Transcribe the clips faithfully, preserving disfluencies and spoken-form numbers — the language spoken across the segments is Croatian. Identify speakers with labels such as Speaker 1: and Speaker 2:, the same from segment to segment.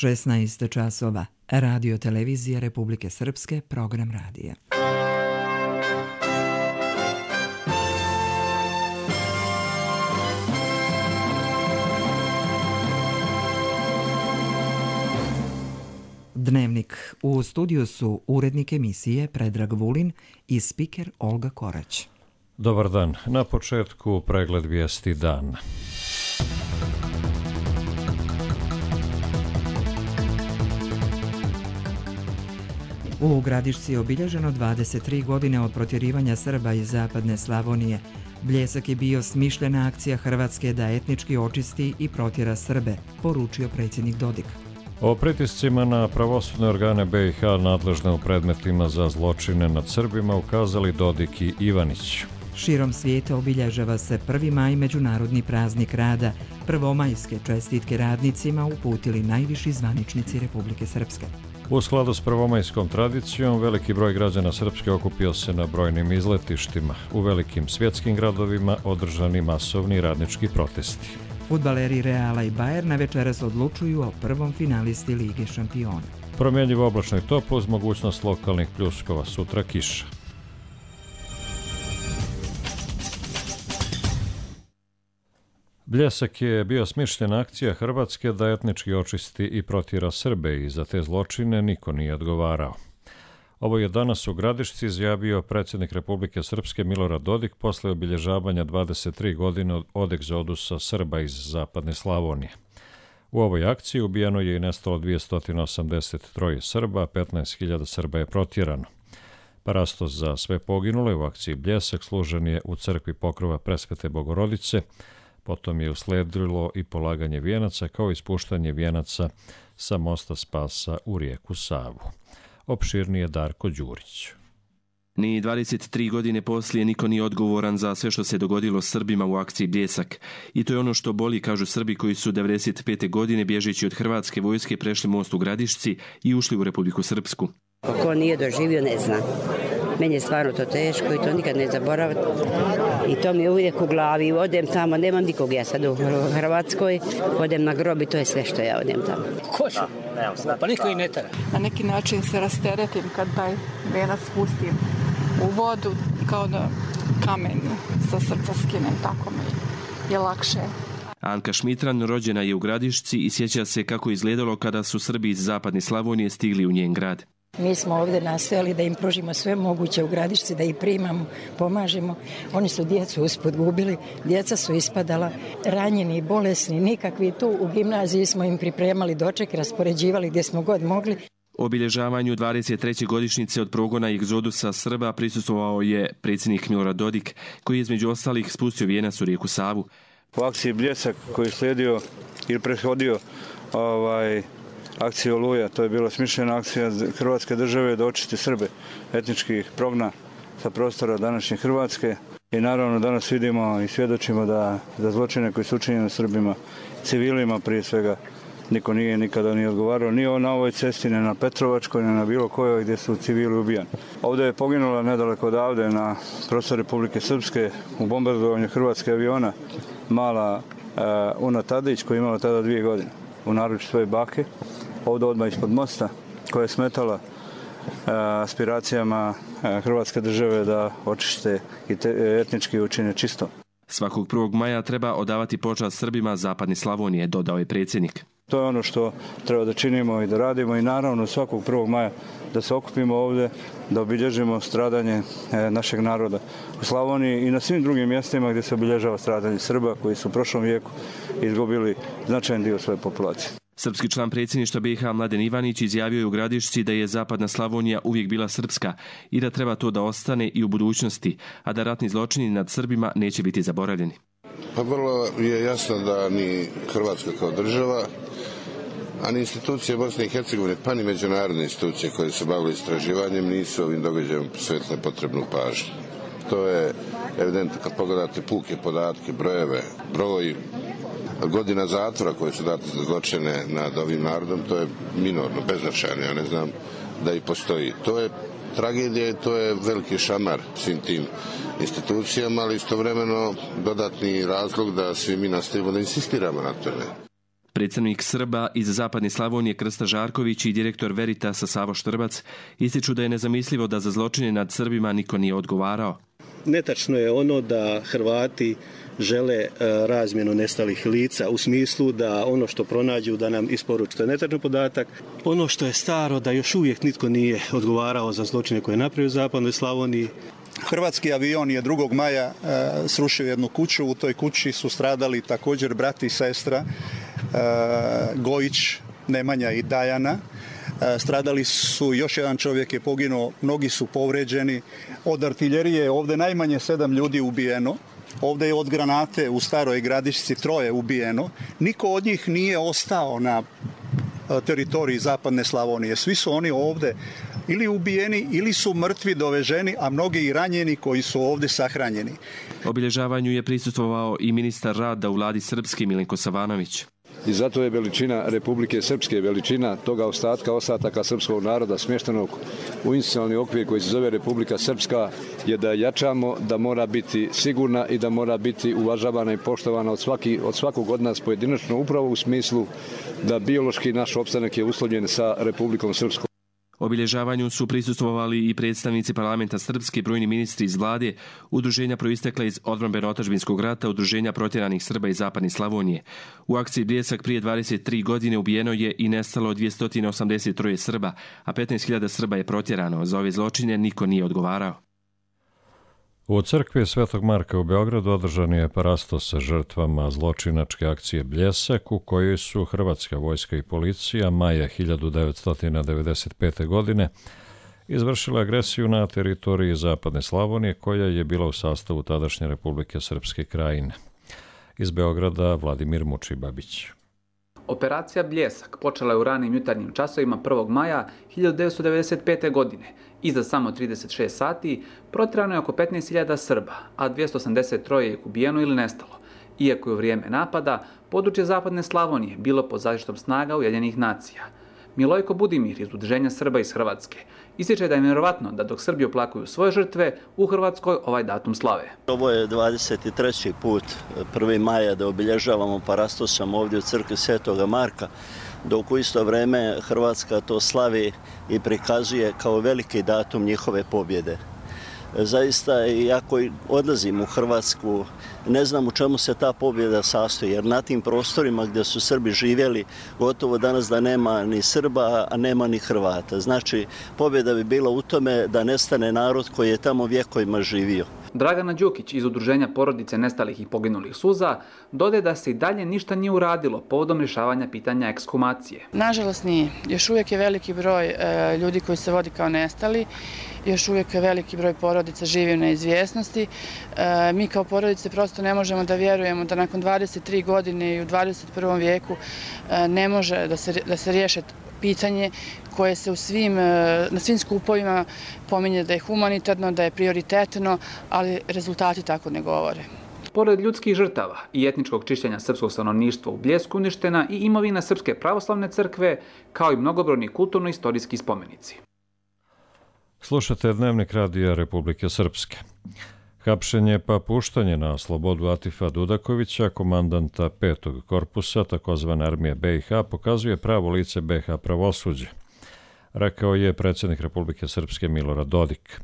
Speaker 1: šesnaest časova. Radio televizija Republike Srpske, program radija. Dnevnik. U studiju su urednik emisije Predrag Vulin i spiker Olga Korać.
Speaker 2: Dobar dan. Na početku pregled vijesti dana.
Speaker 1: U Gradišci je obilježeno dvadeset tri godine od protjerivanja Srba iz zapadne Slavonije. Bljesak je bio smišljena akcija Hrvatske da etnički očisti i protjera Srbe, poručio predsjednik Dodik.
Speaker 2: O pritiscima na pravosudne organe be i ha nadležne u predmetima za zločine nad Srbima ukazali Dodik i Ivanić.
Speaker 1: Širom svijeta obilježava se prvi maj, međunarodni praznik rada. Prvomajske čestitke radnicima uputili najviši zvaničnici Republike Srpske.
Speaker 2: U skladu s prvomajskom tradicijom, veliki broj građana Srpske okupio se na brojnim izletištima. U velikim svjetskim gradovima održani masovni radnički protesti.
Speaker 1: Fudbaleri Reala i Bajerna večeras odlučuju o prvom finalisti Lige šampiona.
Speaker 2: Promjenjivo oblačno i toplo uz mogućnost lokalnih pljuskova, sutra kiša. Bljesak je bio smišljena akcija Hrvatske da etnički očisti i protjera Srbe i za te zločine niko nije odgovarao. Ovo je danas u Gradišci izjavio predsjednik Republike Srpske Milorad Dodik posle obilježavanja dvadeset tri godine od egzodusa Srba iz zapadne Slavonije. U ovoj akciji ubijeno je i nestalo dvjesto osamdeset tri Srba, petnaest hiljada Srba je protjerano. Parastos za sve poginule u akciji Bljesak služen je u crkvi Pokrova Presvete Bogorodice. Potom je usledilo i polaganje vijenaca kao i spuštanje vijenaca sa mosta Spasa u rijeku Savu. Opširnije Darko Đurić.
Speaker 3: Ni dvadeset tri godine poslije niko nije odgovoran za sve što se dogodilo Srbima u akciji Bljesak. I to je ono što boli, kažu Srbi koji su devedeset pete godine bježeći od hrvatske vojske prešli most u Gradišci i ušli u Republiku Srpsku.
Speaker 4: Ko nije doživio ne zna. Meni je stvarno to teško i to nikad ne zaboravim. I to mi je uvijek u glavi. Odem tamo, nemam nikog ja sad u Hrvatskoj. Odem na grob i to je sve što ja odem tamo.
Speaker 5: Ko će? Pa niko i ne tera.
Speaker 6: Na neki način se rasteretim kad taj venac spustim u vodu, kao da kamen sa srca skinem, tako mi je lakše.
Speaker 3: Anka Šmitran rođena je u Gradišci i sjeća se kako izgledalo kada su Srbi iz zapadne Slavonije stigli u njen grad.
Speaker 7: Mi smo ovdje nastojali da im pružimo sve moguće u Gradišci, da ih primamo, pomažemo. Oni su djecu usput gubili, djeca su ispadala, ranjeni, bolesni, nikakvi. Tu u gimnaziji smo im pripremali doček, raspoređivali gdje smo god mogli.
Speaker 3: Obilježavanju dvadeset treće godišnjice od progona i egzodusa Srba prisustvovao je predsjednik Milorad Dodik, koji je između ostalih spustio vijenac u rijeku Savu.
Speaker 8: U akciji Bljesak koji je slijedio ili prethodio ovaj, akciju Oluja, to je bila smišljena akcija Hrvatske države da očisti Srbe etničkih progna sa prostora današnje Hrvatske. I naravno danas vidimo i svjedočimo da za zločine koji su učinjeni Srbima, civilima prije svega, niko nije nikada nije odgovarao. Ni na ovoj cesti, ne na Petrovačkoj, ne na bilo kojoj gdje su civili ubijani. Ovdje je poginula nedaleko odavde na prostoru Republike Srpske u bombardovanju hrvatske aviona mala uh, Una Tadić koja je imala tada dvije godine u naručju svoje bake. Ovdje odmah ispod mosta koja je smetala uh, aspiracijama uh, Hrvatske države da očiste i te, etnički učine čisto.
Speaker 3: Svakog prvog maja treba odavati počast Srbima zapadne Slavonije, dodao je predsjednik.
Speaker 8: To je ono što treba da činimo i da radimo i naravno svakog prvog maja da se okupimo ovdje, da obilježimo stradanje našeg naroda u Slavoniji i na svim drugim mjestima gdje se obilježava stradanje Srba koji su u prošlom vijeku izgubili značajan dio svoje populacije.
Speaker 3: Srpski član predsjedništva be i ha Mladen Ivanić izjavio je u Gradišci da je zapadna Slavonija uvijek bila srpska i da treba to da ostane i u budućnosti, a da ratni zločini nad Srbima neće biti zaboravljeni.
Speaker 9: Pa vrlo je jasno da ni Hrvatska kao država, a ni institucije Bosne i Hercegovine, pa ni međunarodne institucije koje se bavile istraživanjem nisu ovim događajem posvetile potrebnu pažnju. To je evidentno kad pogledate puke podatke, brojeve, broj godina zatvora koje su date za zločine nad ovim narodom, to je minorno, beznačajno, ja ne znam da i postoji. To je tragedija i to je veliki šamar svim tim institucijama, ali istovremeno dodatni razlog da svi mi nastavimo da insistiramo na tome.
Speaker 3: Predstavnik Srba iz Zapadne Slavonije Krsta Žarković i direktor Veritasa Savo Štrbac ističu da je nezamislivo da za zločine nad Srbima niko nije odgovarao.
Speaker 10: Netačno je ono da Hrvati žele razmjenu nestalih lica u smislu da ono što pronađu da nam isporuče. To je netačan podatak. Ono što je staro da još uvijek nitko nije odgovarao za zločine koje je napravio u Zapadnoj Slavoniji.
Speaker 11: Hrvatski avion je drugog maja e, srušio jednu kuću. U toj kući su stradali također brat i sestra e, Gojić, Nemanja i Dajana. E, stradali su, još jedan čovjek je poginuo, mnogi su povređeni. Od artiljerije ovdje najmanje sedam ljudi ubijeno. Ovdje je od granate u Staroj Gradišci troje ubijeno. Niko od njih nije ostao na teritoriji Zapadne Slavonije. Svi su oni ovdje ili ubijeni ili su mrtvi doveženi, a mnogi i ranjeni koji su ovdje sahranjeni.
Speaker 3: Obilježavanju je prisustvovao i ministar rada u vladi Srpske Milenko Savanović.
Speaker 12: I zato je veličina Republike Srpske, veličina toga ostatka, ostataka srpskog naroda smještenog u institucionalni okvir koji se zove Republika Srpska, je da jačamo, da mora biti sigurna i da mora biti uvažavana i poštovana od, svaki, od svakog od nas pojedinačno, upravo u smislu da biološki naš opstanak je uslovljen sa Republikom Srpskom.
Speaker 3: Obilježavanju su prisustvovali i predstavnici parlamenta Srpske, brojni ministri iz vlade, udruženja proistekla iz odbrambeno-otadžbinskog rata, udruženja protjeranih Srba iz Zapadne Slavonije. U akciji Bljesak prije dvadeset tri godine ubijeno je i nestalo dvjesto osamdeset tri Srba, a petnaest hiljada Srba je protjerano. Za ove zločine niko nije odgovarao.
Speaker 2: U crkvi Svetog Marka u Beogradu održan je parastos sa žrtvama zločinačke akcije Bljesak, u kojoj su hrvatska vojska i policija maja hiljadu devetsto devedeset pete. godine izvršila agresiju na teritoriji Zapadne Slavonije, koja je bila u sastavu tadašnje Republike Srpske Krajine. Iz Beograda Vladimir Mučibabić.
Speaker 13: Operacija Bljesak počela je u ranim jutarnjim časovima prvog maja hiljadu devetsto devedeset pete. godine. I za samo trideset šest sati protjerano je oko petnaest hiljada Srba, a dvjesto osamdeset tri je ubijeno ili nestalo. Iako je u vrijeme napada područje Zapadne Slavonije bilo pod zaštitom snaga Ujedinjenih nacija. Milojko Budimir iz Udruženja Srba iz Hrvatske ističe da je vjerovatno da dok Srbi oplakuju svoje žrtve, u Hrvatskoj ovaj datum slave.
Speaker 14: Ovo je dvadeset treći put prvog maja da obilježavamo parastosom ovdje u crkvi Svetoga Marka, dok u isto vrijeme Hrvatska to slavi i prikazuje kao veliki datum njihove pobjede. Zaista, iako odlazim u Hrvatsku, ne znam u čemu se ta pobjeda sastoji, jer na tim prostorima gdje su Srbi živjeli, gotovo danas da nema ni Srba, a nema ni Hrvata. Znači, pobjeda bi bila u tome da nestane narod koji je tamo vjekovima živio.
Speaker 13: Dragana Đukić iz Udruženja porodice nestalih i poginulih suza dodaje da se i dalje ništa nije uradilo povodom rješavanja pitanja ekshumacije.
Speaker 6: Nažalost nije. Još uvijek je veliki broj e, ljudi koji se vodi kao nestali. Još uvijek je veliki broj porodica živi u neizvjesnosti. E, mi kao porodice prosto ne možemo da vjerujemo da nakon dvadeset tri godine i u dvadeset prvom vijeku e, ne može da se, da se riješe pitanje koje se u svim, na svim skupovima pominje da je humanitarno, da je prioritetno, ali rezultati tako ne govore.
Speaker 13: Pored ljudskih žrtava i etničkog čišćenja srpskog stanovništva u Bljesku uništena i imovina Srpske pravoslavne crkve, kao i mnogobrojni kulturno-istorijski spomenici.
Speaker 2: Slušate Dnevnik radija Republike Srpske. Hapšenje pa puštanje na slobodu Atifa Dudakovića, komandanta petog korpusa, takozvane armije B i H, pokazuje pravo lice B i H pravosuđe, rekao je predsjednik Republike Srpske Milorad Dodik.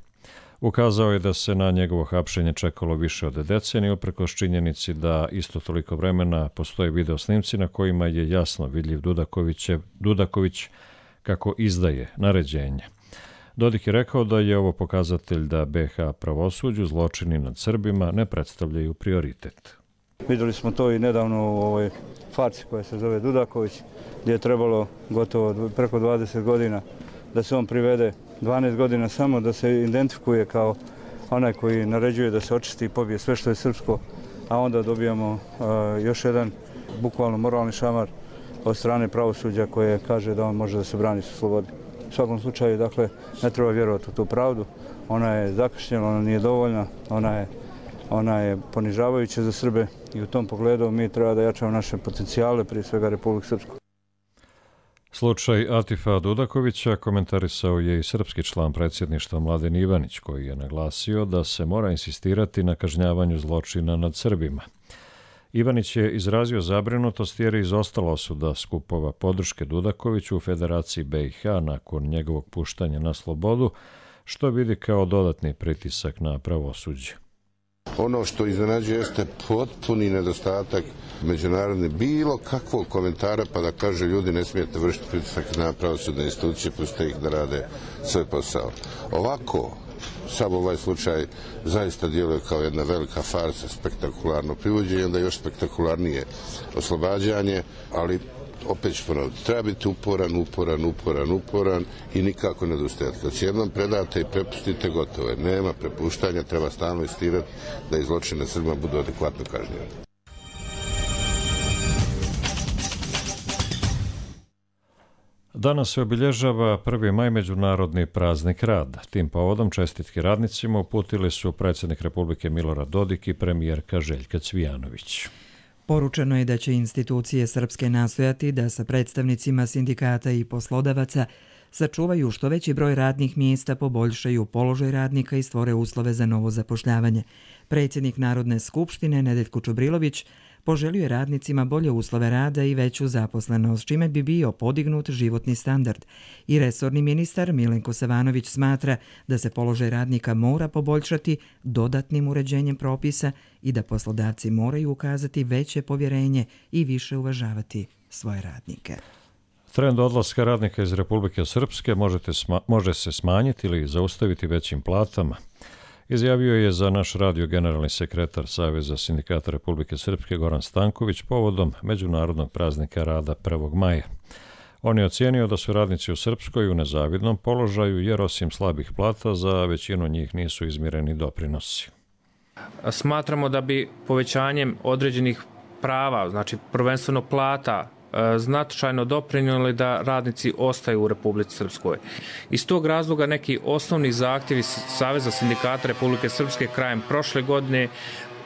Speaker 2: Ukazao je da se na njegovo hapšenje čekalo više od decenije, uprkos činjenici da isto toliko vremena postoje video snimci na kojima je jasno vidljiv Dudaković kako izdaje naređenje. Dodik je rekao da je ovo pokazatelj da B i H pravosuđu zločini nad Srbima ne predstavljaju prioritet.
Speaker 8: Vidjeli smo to i nedavno u ovoj farci koja se zove Dudaković, gdje je trebalo gotovo preko dvadeset godina da se on privede, dvanaest godina samo da se identifikuje kao onaj koji naređuje da se očisti i pobije sve što je srpsko, a onda dobijamo uh, još jedan bukvalno moralni šamar od strane pravosuđa koje kaže da on može da se brani sa slobodi. U svakom slučaju, dakle, ne treba vjerovati u tu pravdu. Ona je zakašnjela, ona nije dovoljna, ona je, ona je ponižavajuća za Srbe i u tom pogledu mi treba da jačamo naše potencijale, prije svega Republike Srpske.
Speaker 2: Slučaj Atifa Dudakovića komentarisao je i srpski član predsjedništva Mladen Ivanić, koji je naglasio da se mora insistirati na kažnjavanju zločina nad Srbima. Ivanić je izrazio zabrinutost jer je izostala osuda skupova podrške Dudakoviću u Federaciji B i H nakon njegovog puštanja na slobodu, što vidi kao dodatni pritisak na pravosuđe.
Speaker 9: Ono što iznenađuje jeste potpuni nedostatak međunarodne bilo kakvog komentara pa da kaže ljudi ne smijete vršiti pritisak na pravosudne institucije, pustite ih da rade svoj posao. Ovako, sam ovaj slučaj zaista djeluje kao jedna velika farsa, spektakularno privođenje, onda još spektakularnije oslobađanje, ali opet ću ponoviti, treba biti uporan, uporan, uporan, uporan i nikako ne odustajati. Kad se jednom predate i prepustite, gotovo je. Nema prepuštanja, treba stalno insistirati da i zločine Srbima budu adekvatno kažnjeni.
Speaker 2: Danas se obilježava prvi maj, međunarodni praznik rada. Tim povodom čestitke radnicima uputili su predsjednik Republike Milorad Dodik i premijerka Željka Cvijanović.
Speaker 1: Poručeno je da će institucije srpske nastojati da sa predstavnicima sindikata i poslodavaca sačuvaju što veći broj radnih mjesta, poboljšaju položaj radnika i stvore uslove za novo zapošljavanje. Predsjednik Narodne skupštine Nedeljko Čubrilović poželio je radnicima bolje uslove rada i veću zaposlenost, čime bi bio podignut životni standard. I resorni ministar Milenko Savanović smatra da se položaj radnika mora poboljšati dodatnim uređenjem propisa i da poslodavci moraju ukazati veće povjerenje i više uvažavati svoje radnike.
Speaker 2: Trend odlaska radnika iz Republike Srpske možete sma- može se smanjiti ili zaustaviti većim platama. Izjavio je za naš radio generalni sekretar Saveza sindikata Republike Srpske Goran Stanković povodom Međunarodnog praznika rada prvog maja. On je ocijenio da su radnici u Srpskoj u nezavidnom položaju jer osim slabih plata za većinu njih nisu izmireni doprinosi.
Speaker 15: Smatramo da bi povećanjem određenih prava, znači prvenstveno plata, značajno doprinijeli da radnici ostaju u Republici Srpskoj. Iz tog razloga neki osnovni zahtjevi Saveza sindikata Republike Srpske krajem prošle godine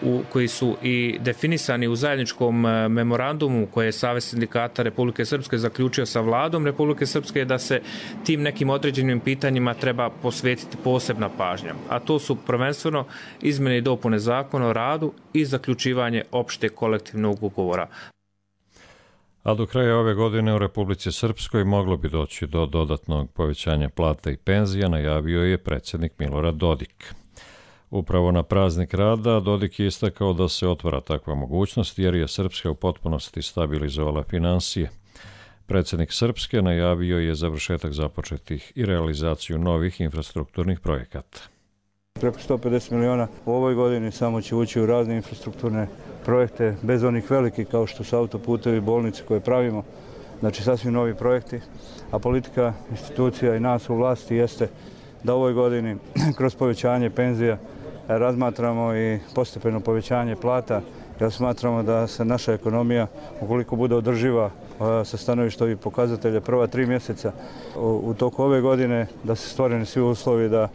Speaker 15: u, koji su i definisani u zajedničkom memorandumu koje je Savez sindikata Republike Srpske zaključio sa vladom Republike Srpske da se tim nekim određenim pitanjima treba posvetiti posebna pažnja. A to su prvenstveno izmjene i dopune zakona o radu i zaključivanje opšte kolektivnog ugovora.
Speaker 2: A do kraja ove godine u Republici Srpskoj moglo bi doći do dodatnog povećanja plata i penzija, najavio je predsjednik Milorad Dodik. Upravo na praznik rada Dodik je istakao da se otvara takva mogućnost jer je Srpska u potpunosti stabilizovala finansije. Predsjednik Srpske najavio je završetak započetih i realizaciju novih infrastrukturnih projekata.
Speaker 8: Preko sto pedeset miliona u ovoj godini samo će ući u razne infrastrukturne projekte, bez onih velikih kao što su autoputevi, bolnice koje pravimo, znači sasvim novi projekti, a politika institucija i nas u vlasti jeste da u ovoj godini kroz povećanje penzija razmatramo i postepeno povećanje plata, jer smatramo da se naša ekonomija, ukoliko bude održiva sa stanovišta ovih pokazatelja prva tri mjeseca u toku ove godine, da se stvoreni svi uslovi da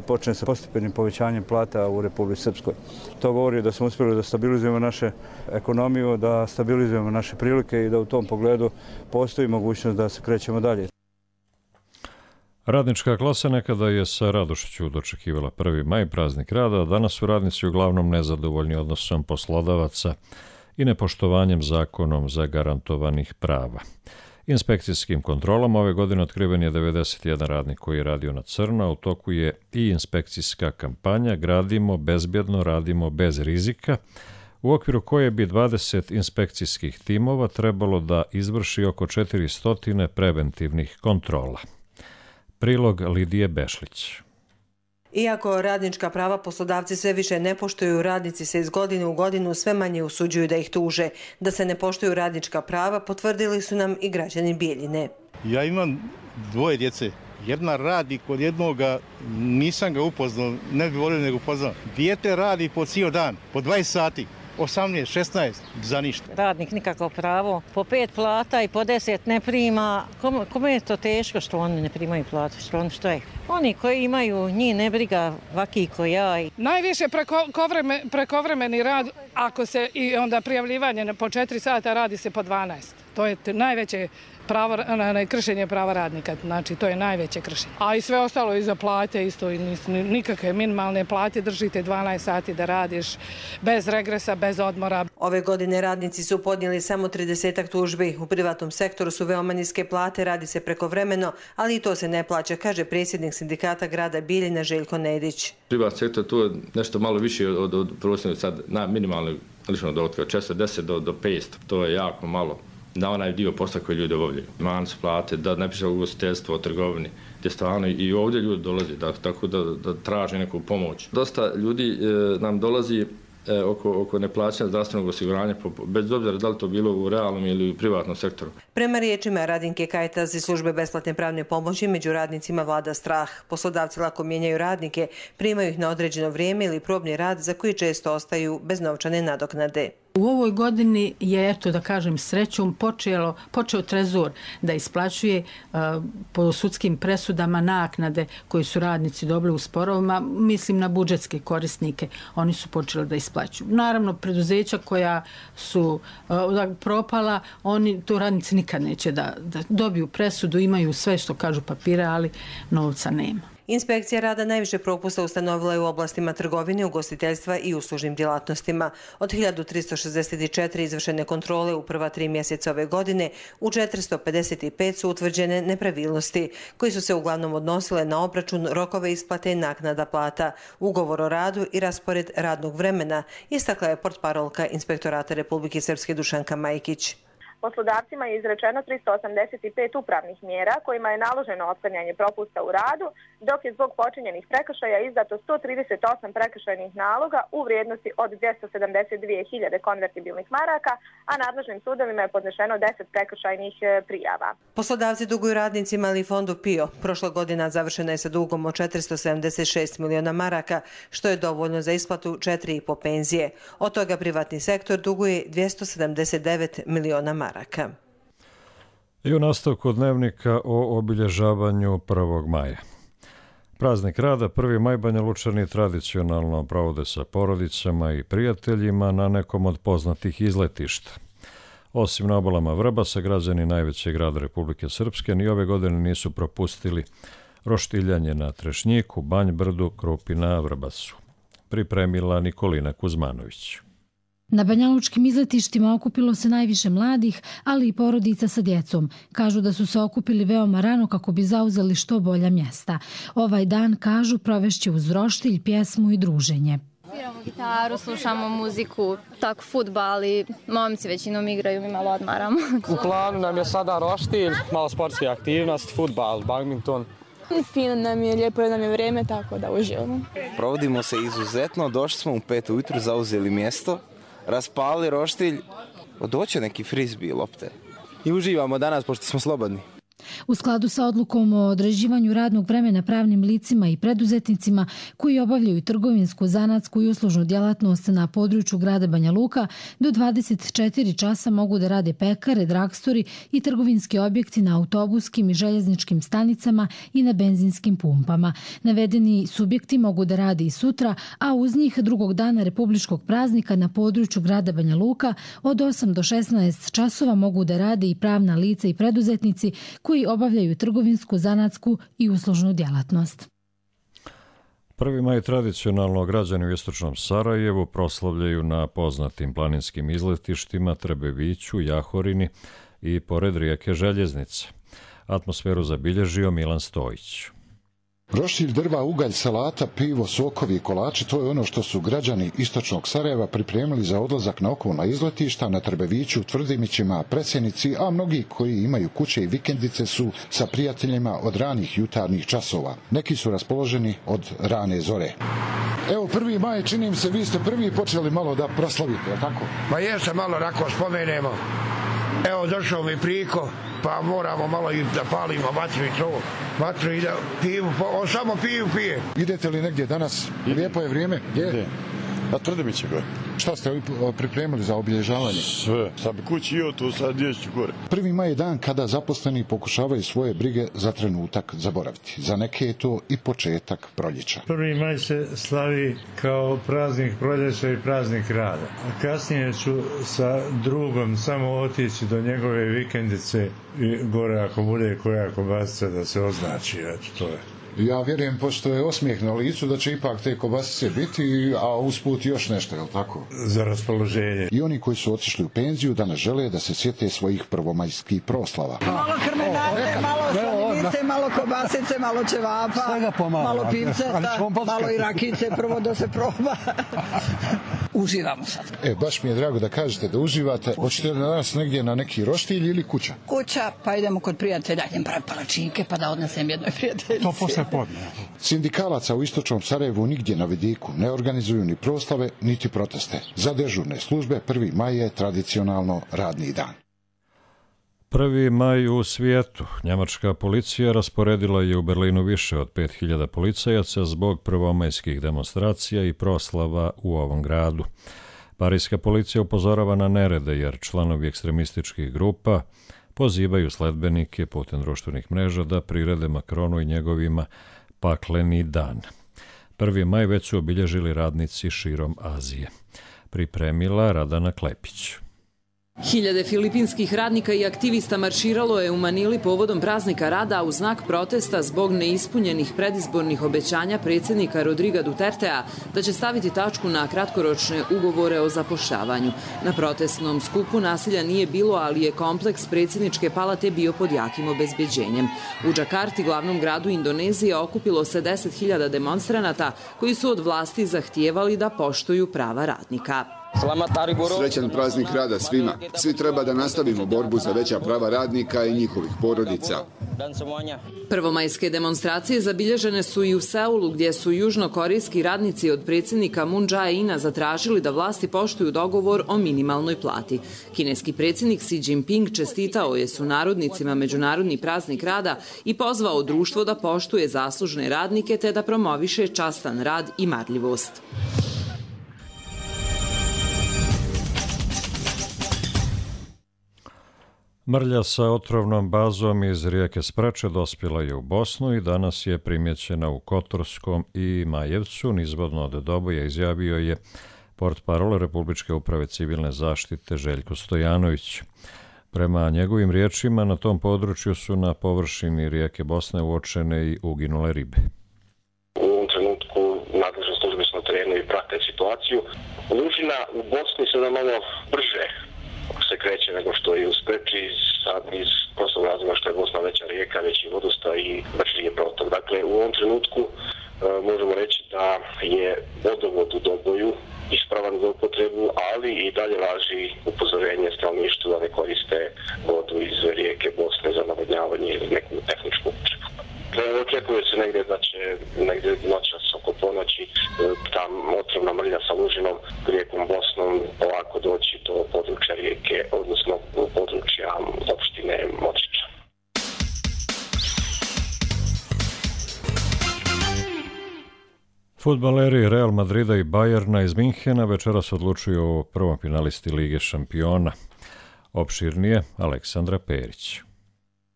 Speaker 8: počne sa postepenim povećanjem plata u Republici Srpskoj. To govori da smo uspjeli da stabilizujemo našu ekonomiju, da stabilizujemo naše prilike i da u tom pogledu postoji mogućnost da se krećemo dalje.
Speaker 2: Radnička klasa nekada je sa radošću dočekivala prvi maj, praznik rada, a danas su radnici uglavnom nezadovoljni odnosom poslodavaca i nepoštovanjem zakonom zagarantovanih prava. Inspekcijskim kontrolama ove godine otkriven je devedeset jedan radnik koji je radio na crno, a u toku je i inspekcijska kampanja Gradimo bezbjedno, radimo bez rizika, u okviru koje bi dvadeset inspekcijskih timova trebalo da izvrši oko četiristo preventivnih kontrola. Prilog Lidije Bešlić.
Speaker 16: Iako radnička prava poslodavci sve više ne poštuju, radnici se iz godine u godinu sve manje usuđuju da ih tuže. Da se ne poštuju radnička prava potvrdili su nam i građani Bijeljine.
Speaker 17: Ja imam dvoje djece. Jedna radi kod jednoga, nisam ga upoznao, ne bi volio nego upoznao. Dijete radi po cijel dan, po dvadeset sati. osamnaest, šesnaest, za ništa.
Speaker 18: Radnik nikako pravo, po pet plata i po deset ne prima. Kome, kome je to teško što oni ne primaju platu? Što, oni, što je? Oni koji imaju, njih ne briga, vaki ko ja.
Speaker 6: Najviše preko, prekovremeni rad, ako se i onda prijavljivanje po četiri sata radi se po dvanaest.
Speaker 19: To je najveće pravo, kršenje prava radnika, znači to je najveće kršenje. A i sve ostalo iza plate, isto nikakve minimalne plate, držite dvanaest sati da radiš bez regresa, bez odmora.
Speaker 16: Ove godine radnici su podnijeli samo tridesetak tužbi. U privatnom sektoru su veoma niske plate, radi se prekovremeno, ali i to se ne plaća, kaže predsjednik sindikata grada Bijeljina Željko Nedić.
Speaker 20: Privatni sektor tu je nešto malo više od, od prosječnog sad na minimalnog ličnog dohotka, od četrdeset do, do petsto, to je jako malo na onaj dio posla koji ljudi obavljaju. Manje su plate, da ne piše ugostiteljstvo, o trgovini, gdje stvarno i ovdje ljudi dolazi, da, tako da, da traže neku pomoć. Dosta ljudi e, nam dolazi e, oko, oko neplaćanja zdravstvenog osiguranja, bez obzira da li to bilo u realnom ili u privatnom sektoru.
Speaker 16: Prema riječima Radinke Kajtas iz službe besplatne pravne pomoći, među radnicima vlada strah. Poslodavci lako mijenjaju radnike, primaju ih na određeno vrijeme ili probni rad za koji često ostaju bez novčane nadoknade.
Speaker 21: U ovoj godini je, eto da kažem, srećom počelo, počeo Trezor da isplaćuje uh, po sudskim presudama naknade koje su radnici dobili u sporovima, mislim na budžetske korisnike, oni su počeli da isplaćuju. Naravno, preduzeća koja su uh, propala, oni, to radnici nikad neće da, da dobiju presudu, imaju sve što kažu papire, ali novca nema.
Speaker 16: Inspekcija rada najviše propusta ustanovila je u oblastima trgovine, ugostiteljstva i uslužnim djelatnostima. Od hiljadu trista šezdeset četiri izvršene kontrole u prva tri mjeseca ove godine, u četiristo pedeset pet su utvrđene nepravilnosti, koji su se uglavnom odnosile na obračun, rokove isplate i naknada plata, ugovor o radu i raspored radnog vremena, istakla je portparolka Inspektorata Republike Srpske Dušanka Majkić.
Speaker 22: Poslodavcima je izrečeno tristo osamdeset pet upravnih mjera kojima je naloženo otklanjanje propusta u radu, dok je zbog počinjenih prekršaja izdato sto trideset osam prekršajnih naloga u vrijednosti od dvjesto sedamdeset dvije hiljade konvertibilnih maraka, a nadležnim sudovima je podnešeno deset prekršajnih prijava.
Speaker 16: Poslodavci duguju radnicima ali i fondu PIO. Prošla godina završena je sa dugom od četiristo sedamdeset šest miliona maraka, što je dovoljno za isplatu četiri i po penzije. Od toga privatni sektor duguje dvjesto sedamdeset devet miliona maraka.
Speaker 2: I u nastavku dnevnika o obilježavanju prvog maja. Praznik rada prvi maj Banjalučani tradicionalno provode sa porodicama i prijateljima na nekom od poznatih izletišta. Osim na obalama Vrbasa, građani najvećeg grada Republike Srpske ni ove godine nisu propustili roštiljanje na Trešnjiku, Banj Brdu, Krupi na Vrbasu. Pripremila Nikolina Kuzmanović.
Speaker 23: Na banjalučkim izletištima okupilo se najviše mladih, ali i porodica sa djecom. Kažu da su se okupili veoma rano kako bi zauzeli što bolja mjesta. Ovaj dan, kažu, provešće uz roštilj, pjesmu i druženje.
Speaker 24: Sviramo gitaru, slušamo muziku, tako fudbal i momci većinom igraju, mi malo odmaramo.
Speaker 25: U planu nam je sada roštilj, malo sportske aktivnosti, fudbal, badminton.
Speaker 26: Fino nam je, lijepo je nam je vrijeme, tako da uživamo.
Speaker 27: Provodimo se izuzetno, došli smo u pet ujutru, zauzeli mjesto, raspali roštilj, doće neki frisbee lopte i uživamo danas pošto smo slobodni.
Speaker 23: U skladu sa odlukom o određivanju radnog vremena pravnim licima i preduzetnicima koji obavljaju trgovinsku, zanatsku i uslužnu djelatnost na području grada Banja Luka, do dvadeset četiri časa mogu da rade pekare, dragstori i trgovinski objekti na autobuskim i željezničkim stanicama i na benzinskim pumpama. Navedeni subjekti mogu da rade i sutra, a uz njih drugog dana republičkog praznika na području grada Banja Luka od osam do šesnaest časova mogu da rade i pravna lica i preduzetnici koji obavljaju trgovinsku, zanatsku i uslužnu djelatnost.
Speaker 2: Prvi maj tradicionalno građani u istočnom Sarajevu proslavljaju na poznatim planinskim izletištima Trebeviću, Jahorini i pored rijeke Željeznice. Atmosferu zabilježio Milan Stojić.
Speaker 28: Roštilj, drva, ugalj, salata, pivo, sokovi i kolači, to je ono što su građani istočnog Sarajeva pripremili za odlazak na okolna izletišta na Trebeviću, Tvrdimićima, Presjenici, a mnogi koji imaju kuće i vikendice su sa prijateljima od ranih jutarnjih časova. Neki su raspoloženi od rane zore. Evo, prvi maj, čini mi se, vi ste prvi počeli malo da proslavite, je tako?
Speaker 29: Ma jesam, malo rako spomenemo. Evo, došao mi priko, pa moramo malo i da palimo vatru i to. Vatru i da piju, on samo piju pije.
Speaker 28: Idete li negdje danas? Lijepo je vrijeme? Je. Na Tvrdimiće gore. Šta ste pripremili za obilježavanje?
Speaker 3: Sve. Sad bi kući i o to, sad djeću gore.
Speaker 28: Prvi maj je dan kada zaposleni pokušavaju svoje brige za trenutak zaboraviti. Za neke je to i početak proljeća.
Speaker 4: Prvi maj se slavi kao praznik proljeća i praznik rada. A kasnije ću sa drugom samo otići do njegove vikendice i gore ako bude koja kobasica da se označi. Eto, to je.
Speaker 28: Ja vjerujem, pošto je osmijeh na licu, da će ipak te kobasice biti, a usput još nešto, je li tako?
Speaker 4: Za raspoloženje.
Speaker 28: I oni koji su otišli u penziju danas žele da se sjete svojih prvomajskih proslava.
Speaker 5: Malo krmenate, malo sladinice, malo kobasice, malo ćevapa, malo pivceta, malo i rakice, prvo da se proba. Uživamo sad.
Speaker 28: E, baš mi je drago da kažete da uživate. Hoćete da danas negdje na neki roštilj ili kuća?
Speaker 5: Kuća, pa idemo kod prijatelja, idem pravi palačinke pa da odnesem jednoj prijateljici.
Speaker 4: To posle podne.
Speaker 28: Sindikalaca u istočnom Sarajevu nigdje na vidiku ne organizuju ni proslave, niti proteste. Za dežurne službe prvi maj je tradicionalno radni dan.
Speaker 2: Prvi maj u svijetu. Njemačka policija rasporedila je u Berlinu više od pet hiljada policajaca zbog prvomajskih demonstracija i proslava u ovom gradu. Parijska policija upozorava na nerede jer članovi ekstremističkih grupa pozivaju sledbenike putem društvenih mreža da prirede Makronu i njegovima pakleni dan. Prvi maj već su obilježili radnici širom Azije. Pripremila Radana Klepić.
Speaker 7: Hiljade filipinskih radnika i aktivista marširalo je u Manili povodom praznika rada u znak protesta zbog neispunjenih predizbornih obećanja predsjednika Rodriga Dutertea da će staviti tačku na kratkoročne ugovore o zapošljavanju. Na protestnom skupu nasilja nije bilo, ali je kompleks predsjedničke palate bio pod jakim obezbeđenjem. U Džakarti, glavnom gradu Indonezije, okupilo se deset hiljada demonstranata koji su od vlasti zahtijevali da poštuju prava radnika.
Speaker 10: Srećan praznik rada svima. Svi treba da nastavimo borbu za veća prava radnika i njihovih porodica.
Speaker 7: Prvomajske demonstracije zabilježene su i u Seulu, gdje su južnokorejski radnici od predsjednika Moon Jae-ina zatražili da vlasti poštuju dogovor o minimalnoj plati. Kineski predsjednik Xi Jinping čestitao je sunarodnicima Međunarodni praznik rada i pozvao društvo da poštuje zaslužne radnike te da promoviše častan rad i marljivost.
Speaker 2: Mrlja sa otrovnom bazom iz rijeke Sprače dospjela je u Bosnu i danas je primjećena u Kotorskom i Majevcu. Nizvodno od Doboja izjavio je portparol Republičke uprave civilne zaštite Željko Stojanović. Prema njegovim riječima, na tom području su na površini rijeke Bosne uočene i uginule ribe.
Speaker 11: U ovom trenutku nadležne službe su na terenu i prate situaciju. Lužina u Bosni se da malo brže se kreće nego što je u Spreči, sad iz prostog razloga što je Bosna veća rijeka, veći vodosta i brži je protok. Dakle, u ovom trenutku e, možemo reći da je vodovod u Doboju ispravan za upotrebu, ali i dalje važi upozorenje stanovništvu da ne koriste vodu iz rijeke Bosne za navodnjavanje ili neku tehničku upotrebu. Očekuje se negdje da će negdje noćas oko ponoći ta otrovna mrlja sa lužinom rijekom Bosnom polako doći do područja rijeke, odnosno područja opštine Močića.
Speaker 2: Fudbaleri Real Madrida i Bayerna iz Minhena večeras odlučuju o prvom finalisti Lige šampiona. Opširnije Aleksandra Perić.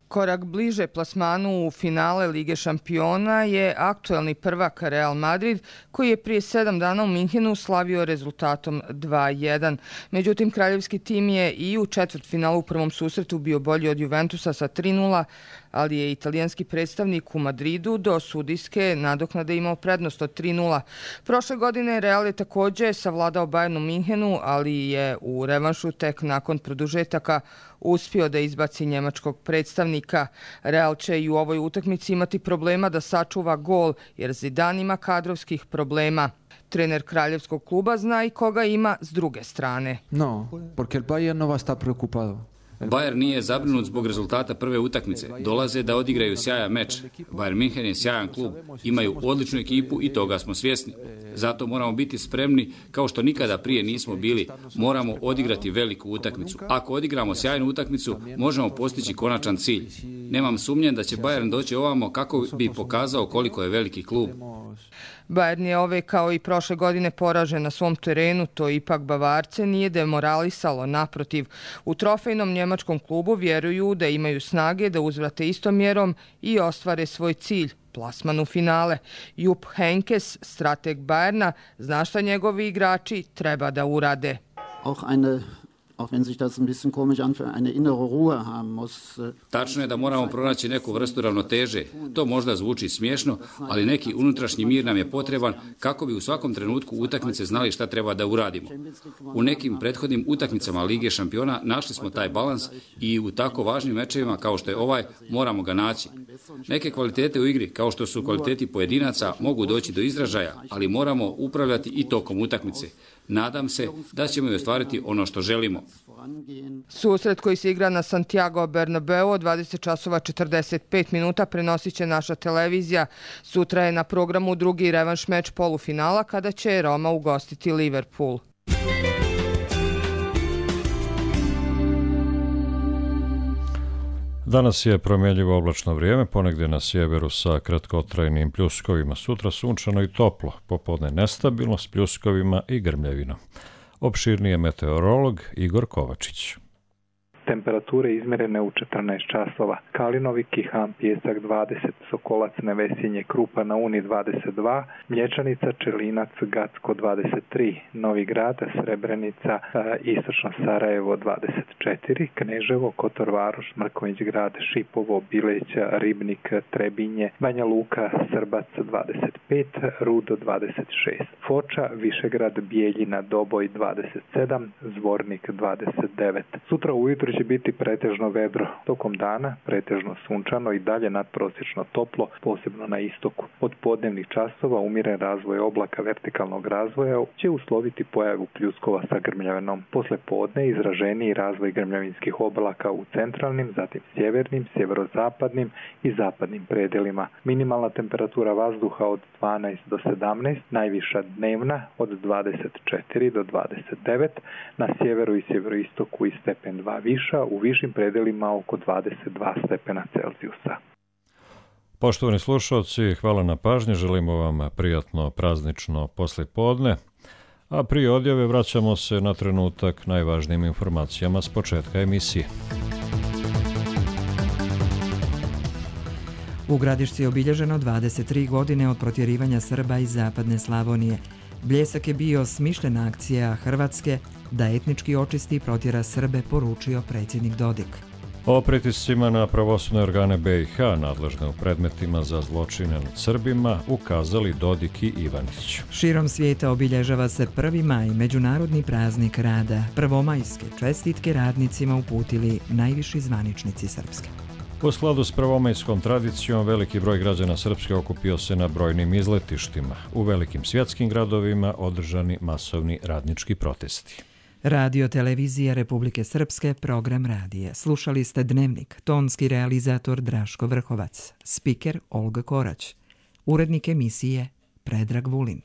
Speaker 12: Korak bliže plasmanu u finale Lige šampiona je aktuelni prvak Real Madrid, koji je prije sedam dana u Minhenu slavio rezultatom dva jedan. Međutim, kraljevski tim je i u četvrtfinalu u prvom susretu bio bolji od Juventusa sa tri nula, ali je italijanski predstavnik u Madridu do sudijske nadoknade imao prednost od tri nula. Prošle godine Real je također savladao Bayern u Minhenu, ali je u revanšu tek nakon produžetaka uspio da izbaci njemačkog predstavnika. Real će i u ovoj utakmici imati problema da sačuva gol, jer Zidane ima kadrovskih problema. Trener kraljevskog kluba zna i koga ima s druge strane.
Speaker 13: No, porque el Bayern no va a estar preocupado.
Speaker 14: Bayern nije zabrinut zbog rezultata prve utakmice. Dolaze da odigraju sjajan meč. Bayern München je sjajan klub. Imaju odličnu ekipu i toga smo svjesni. Zato moramo biti spremni, kao što nikada prije nismo bili. Moramo odigrati veliku utakmicu. Ako odigramo sjajnu utakmicu, možemo postići konačan cilj. Nemam sumnje da će Bayern doći ovamo kako bi pokazao koliko je veliki klub.
Speaker 12: Bayern je ove kao i prošle godine poražen na svom terenu, to ipak Bavarce nije demoralisalo, naprotiv. U trofejnom njemačkom klubu vjeruju da imaju snage da uzvrate istom mjerom i ostvare svoj cilj, plasman u finale. Jupp Heynckes, strateg Bayerna, zna šta njegovi igrači treba da urade.
Speaker 1: Auch eine auch wenn sich das ein bisschen komisch anfühlt, eine innere Ruhe haben muss.
Speaker 14: Tačno je da moramo pronaći neku vrstu ravnoteže. To možda zvuči smiješno, ali neki unutrašnji mir nam je potreban kako bi u svakom trenutku utakmice znali šta treba da uradimo. U nekim prethodnim utakmicama Lige šampiona našli smo taj balans i u tako važnim mečevima kao što je ovaj moramo ga naći. Neke kvalitete u igri, kao što su kvaliteti pojedinaca, mogu doći do izražaja, ali moramo upravljati i tokom utakmice. Nadam se da ćemo i ostvariti ono što želimo.
Speaker 12: Susret koji se igra na Santiago Bernabeu od dvadeset časova četrdeset pet minuta prenosit će naša televizija. Sutra je na programu drugi revanš meč polufinala kada će Roma ugostiti Liverpool.
Speaker 2: Danas je promjenjivo oblačno vrijeme, ponegdje na sjeveru sa kratkotrajnim pljuskovima. Sutra sunčano i toplo, popodne nestabilno s pljuskovima i grmljavinom. Opširnije meteorolog Igor Kovačić.
Speaker 6: Temperature izmjerene u četrnaest časova. Kalinovi, Kihan, Pjesak dvadeset, Sokolac, Nevesinje, Krupa na Uni dvadeset dva, Mlječanica, Čelinac, Gacko dvadeset tri, Novi Grad, Srebrenica, Istočno Sarajevo dvadeset četiri, Kneževo, Kotor Varoš, Mrkonjić Grad, Šipovo, Bileća, Ribnik, Trebinje, Banja Luka, Srbac dvadeset pet, Rudo dvadeset šest, Foča, Višegrad, Bijeljina, Doboj dvadeset sedam, Zvornik dvadeset devet. Sutra ujutro će biti pretežno vedro. Tokom dana pretežno sunčano i dalje nadprosječno toplo, posebno na istoku. Od podnevnih časova umiren razvoj oblaka vertikalnog razvoja će usloviti pojavu pljuskova sa grmljavinom. Posle podne izraženiji razvoj grmljavinskih oblaka u centralnim, zatim sjevernim, sjeverozapadnim i zapadnim predelima. Minimalna temperatura vazduha od dvanaest do sedamnaest, najviša dnevna od dvadeset četiri do dvadeset devet, na sjeveru i sjeveroistoku i stepen dva viša, u višim predelima oko dvadeset dva stepena Celzijusa.
Speaker 2: Poštovani slušalci, hvala na pažnji, želimo vam prijatno praznično poslijepodne, a prije odjave vraćamo se na trenutak najvažnijim informacijama s početka emisije.
Speaker 8: U Gradišci je obilježeno dvadeset tri godine od protjerivanja Srba iz zapadne Slavonije. Bljesak je bio smišljena akcija Hrvatske da etnički očisti i protjera Srbe, poručio predsjednik Dodik.
Speaker 2: O pritiscima na pravosudne organe be i ha nadležne u predmetima za zločine nad Srbima ukazali Dodik i Ivanić.
Speaker 8: Širom svijeta obilježava se prvi maj, međunarodni praznik rada. Prvomajske čestitke radnicima uputili najviši zvaničnici Srpske.
Speaker 2: U skladu s prvomajskom tradicijom, veliki broj građana Srpske okupio se na brojnim izletištima. U velikim svjetskim gradovima održani masovni radnički protesti.
Speaker 8: Radio Televizija Republike Srpske, program radije. Slušali ste Dnevnik, tonski realizator Draško Vrhovac, spiker Olga Korać, urednik emisije Predrag Vulin.